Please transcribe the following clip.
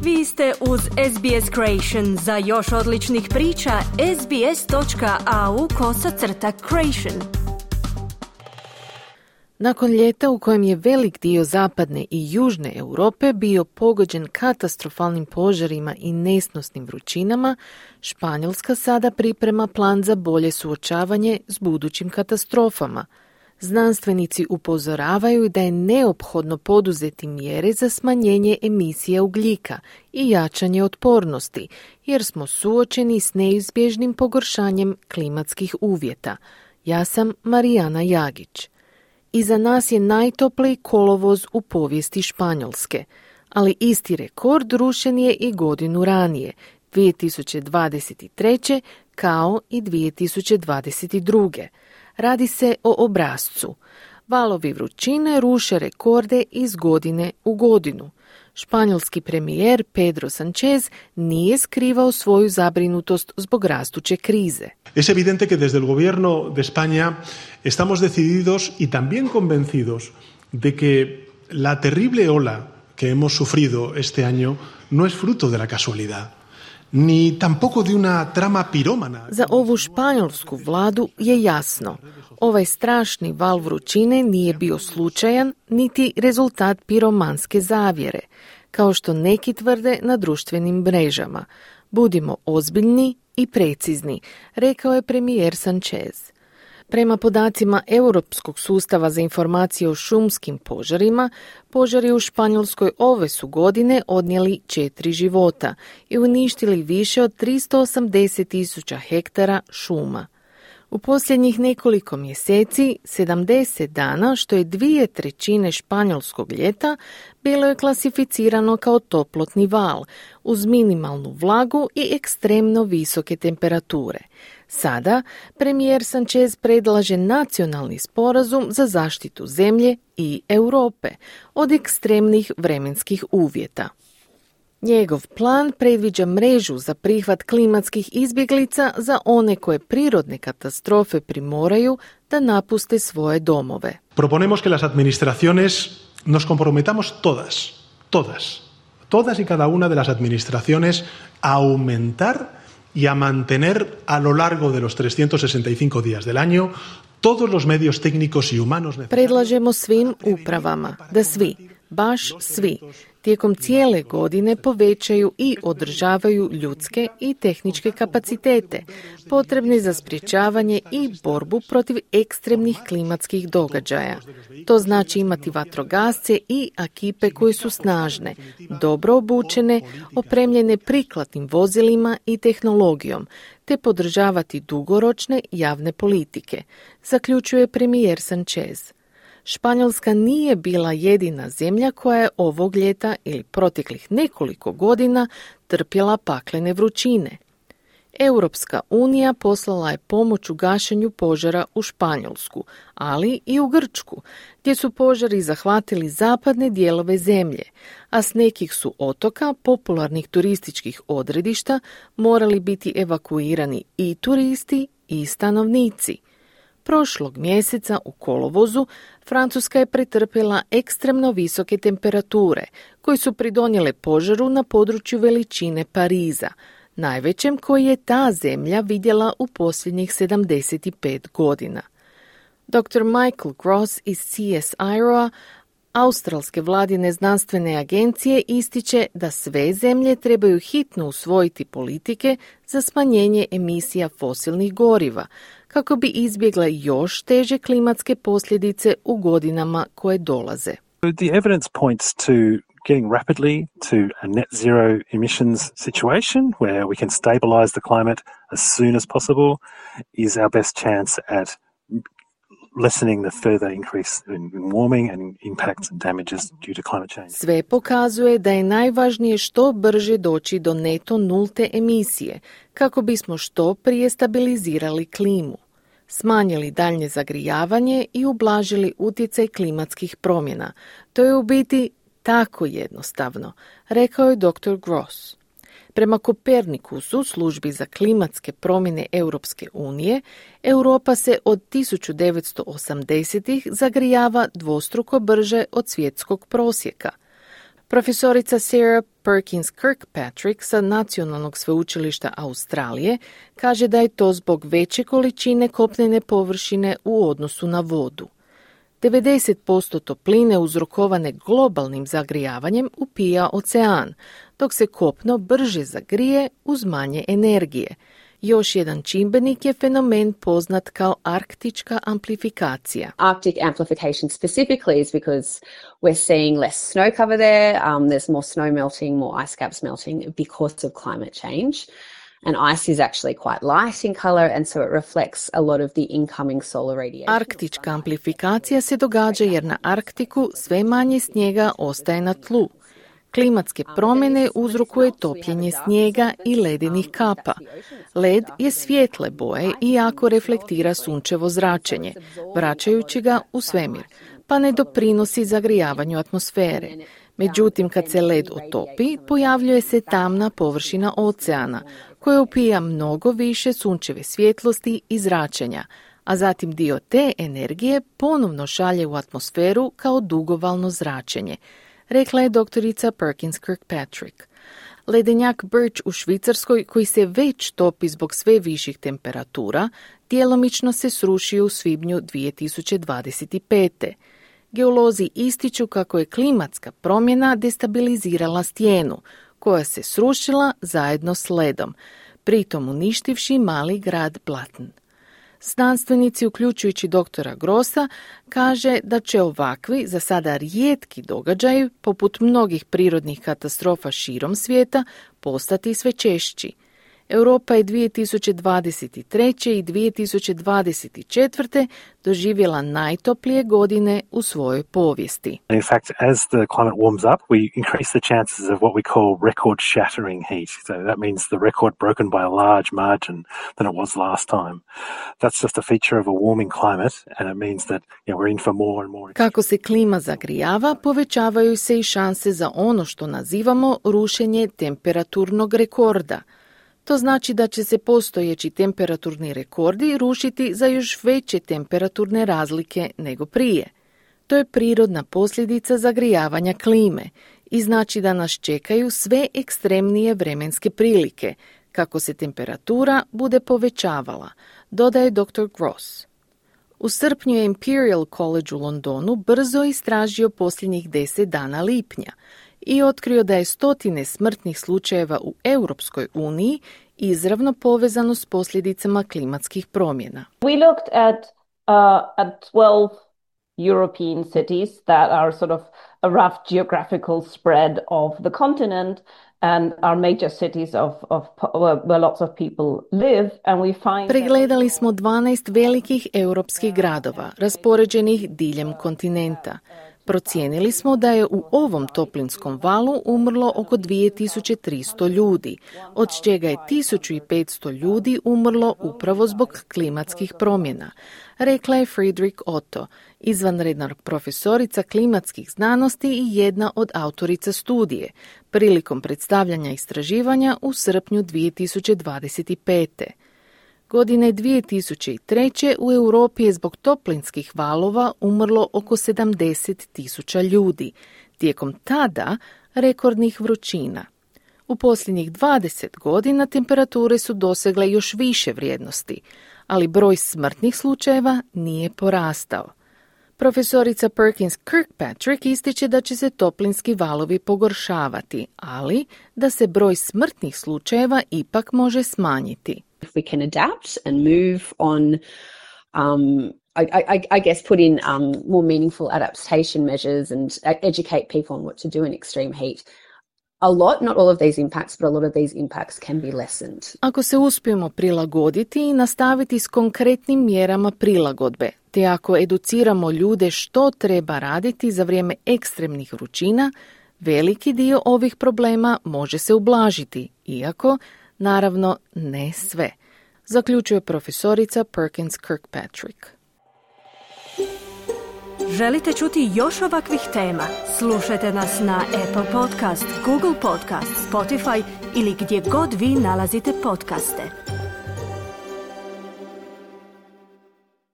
Vi ste uz SBS Creation. Za još odličnih priča, sbs.au/creation. Nakon ljeta u kojem je velik dio zapadne i južne Europe bio pogođen katastrofalnim požarima i nesnosnim vrućinama, Španjolska sada priprema plan za bolje suočavanje s budućim katastrofama. Znanstvenici upozoravaju da je neophodno poduzeti mjere za smanjenje emisije ugljika i jačanje otpornosti, jer smo suočeni s neizbježnim pogoršanjem klimatskih uvjeta. Ja sam Marijana Jagić. Iza nas je najtopliji kolovoz u povijesti Španjolske, ali isti rekord rušen je i godinu ranije, 2023. kao i 2022. Radi se o obrascu. Valovi vrućine ruše rekorde iz godine u godinu. Španjolski premijer Pedro Sánchez nije skrivao svoju zabrinutost zbog rastuće krize. Es evidente que desde el gobierno de España estamos decididos y también convencidos de que la terrible ola que hemos sufrido este año no es fruto de la casualidad. Ni tampoco de una trama pirómana. Za ovu španjolsku vladu je jasno. Ovaj strašni val vrućine nije bio slučajan niti rezultat piromanske zavjere, kao što neki tvrde na društvenim mrežama. Budimo ozbiljni i precizni, rekao je premijer Sánchez. Prema podacima Europskog sustava za informacije o šumskim požarima, požari u Španjolskoj ove su godine odnijeli 4 života i uništili više od 380.000 hektara šuma. U posljednjih nekoliko mjeseci, 70 dana, što je 2/3 španjolskog ljeta, bilo je klasificirano kao toplotni val, uz minimalnu vlagu i ekstremno visoke temperature. Sada premijer Sánchez predlaže nacionalni sporazum za zaštitu zemlje i Europe od ekstremnih vremenskih uvjeta. Njegov plan predviđa mrežu za prihvat klimatskih izbjeglica za one koje prirodne katastrofe primoraju da napuste svoje domove. Proponemos que las administraciones nos comprometamos todas y cada una de las administraciones a aumentar y a mantener a lo largo de los 365 días del año todos los medios técnicos y humanos necesarios. Predlažemo svim upravama da svi, baš svi, tijekom cijele godine povećaju i održavaju ljudske i tehničke kapacitete potrebne za sprječavanje i borbu protiv ekstremnih klimatskih događaja. To znači imati vatrogasce i ekipe koje su snažne, dobro obučene, opremljene prikladnim vozilima i tehnologijom, te podržavati dugoročne javne politike, zaključuje premijer Sánchez. Španjolska nije bila jedina zemlja koja je ovog ljeta ili proteklih nekoliko godina trpjela paklene vrućine. Europska unija poslala je pomoć u gašenju požara u Španjolsku, ali i u Grčku, gdje su požari zahvatili zapadne dijelove zemlje, a s nekih su otoka, popularnih turističkih odredišta, morali biti evakuirani i turisti i stanovnici. Prošlog mjeseca u kolovozu Francuska je pretrpjela ekstremno visoke temperature koje su pridonijele požaru na području veličine Pariza, najvećem koji je ta zemlja vidjela u posljednjih 75 godina. Dr. Michael Gross iz CSIRO-a, australske vladine znanstvene agencije, ističe da sve zemlje trebaju hitno usvojiti politike za smanjenje emisija fosilnih goriva, kako bi izbjegle još teže klimatske posljedice u godinama koje dolaze. The evidence points to getting rapidly to a net zero emissions situation where we can stabilize the climate as soon as possible is our best chance at lessening the further increase in warming and impacts and damages due to climate change. Sve pokazuje da je najvažnije što brže doći do neto nulte emisije, kako bismo što prije stabilizirali klimu, smanjili daljnje zagrijavanje i ublažili utjecaj klimatskih promjena. To je u biti tako jednostavno, rekao je dr. Gross. Prema Kopernikusu, službi za klimatske promjene Europske unije, Europa se od 1980-ih zagrijava dvostruko brže od svjetskog prosjeka. Profesorica Sarah Perkins Kirkpatrick sa Nacionalnog sveučilišta Australije kaže da je to zbog veće količine kopnene površine u odnosu na vodu. 90% topline uzrokovane globalnim zagrijavanjem upija ocean, dok se kopno brže zagrije uz manje energije. Još jedan čimbenik je fenomen poznat kao arktička amplifikacija. Arctic amplification specifically is because we're seeing less snow cover there, there's more snow melting, more ice caps melting because of climate change. And ice is actually quite light in color and so it reflects a lot of the incoming solar radiation. Arktička amplifikacija se događa jer na Arktiku sve manje snijega ostaje na tlu. Klimatske promjene uzrokuje topljenje snijega i ledenih kapa. Led je svijetle boje i jako reflektira sunčevo zračenje, vraćajući ga u svemir, pa ne doprinosi zagrijavanju atmosfere. Međutim, kad se led otopi, pojavljuje se tamna površina oceana, koja upija mnogo više sunčeve svjetlosti i zračenja, a zatim dio te energije ponovno šalje u atmosferu kao dugovalno zračenje, rekla je doktorica Perkins Kirkpatrick. Ledenjak Birch u Švicarskoj, koji se već topi zbog sve viših temperatura, djelomično se srušio u svibnju 2025. Geolozi ističu kako je klimatska promjena destabilizirala stijenu, koja se srušila zajedno s ledom, pritom uništivši mali grad Blatn. Znanstvenici, uključujući doktora Grossa, kaže da će ovakvi, za sada rijetki događaji, poput mnogih prirodnih katastrofa širom svijeta, postati sve češći. Europa je 2023. i 2024. doživjela najtoplije godine u svojoj povijesti. In fact, as the climate warms up, we increase the chances of what we call record shattering heat. So that means the record broken by a large margin than it was last time. That's just a feature of a warming climate and it means that we're in for more and more. Kako se klima zagrijava, povećavaju se i šanse za ono što nazivamo rušenje temperaturnog rekorda. To znači da će se postojeći temperaturni rekordi rušiti za još veće temperaturne razlike nego prije. To je prirodna posljedica zagrijavanja klime i znači da nas čekaju sve ekstremnije vremenske prilike, kako se temperatura bude povećavala, dodaje dr. Gross. U srpnju je Imperial College u Londonu brzo istražio posljednjih 10 dana lipnja i otkrio da je 100 smrtnih slučajeva u Europskoj uniji izravno povezano s posljedicama klimatskih promjena. We looked at 12 European cities that are sort of a rough geographical spread of the continent and are major cities where lots of people live, and we find. Pregledali smo 12 velikih europskih gradova raspoređenih diljem kontinenta. Procijenili smo da je u ovom toplinskom valu umrlo oko 2300 ljudi, od čega je 1500 ljudi umrlo upravo zbog klimatskih promjena, rekla je Friederike Otto, izvanredna profesorica klimatskih znanosti i jedna od autorica studije, prilikom predstavljanja istraživanja u srpnju 2025. Godine 2003. u Europi je zbog toplinskih valova umrlo oko 70.000 ljudi, tijekom tada rekordnih vrućina. U posljednjih 20 godina temperature su dosegle još više vrijednosti, ali broj smrtnih slučajeva nije porastao. Profesorica Perkins Kirkpatrick ističe da će se toplinski valovi pogoršavati, ali da se broj smrtnih slučajeva ipak može smanjiti. If we can adapt and move on, I guess put in more meaningful adaptation measures and educate people on what to do in extreme heat. Not all of these impacts, but a lot of these impacts can be lessened. Ako se uspijemo prilagoditi i nastaviti s konkretnim mjerama prilagodbe, te ako educiramo ljude što treba raditi za vrijeme ekstremnih vrućina, veliki dio ovih problema može se ublažiti, iako naravno ne sve, zaključuje profesorica Perkins Kirkpatrick. Želite čuti još ovakvih tema? Slušajte nas na Apple Podcast, Google Podcast, Spotify ili gdje god vi nalazite podcaste.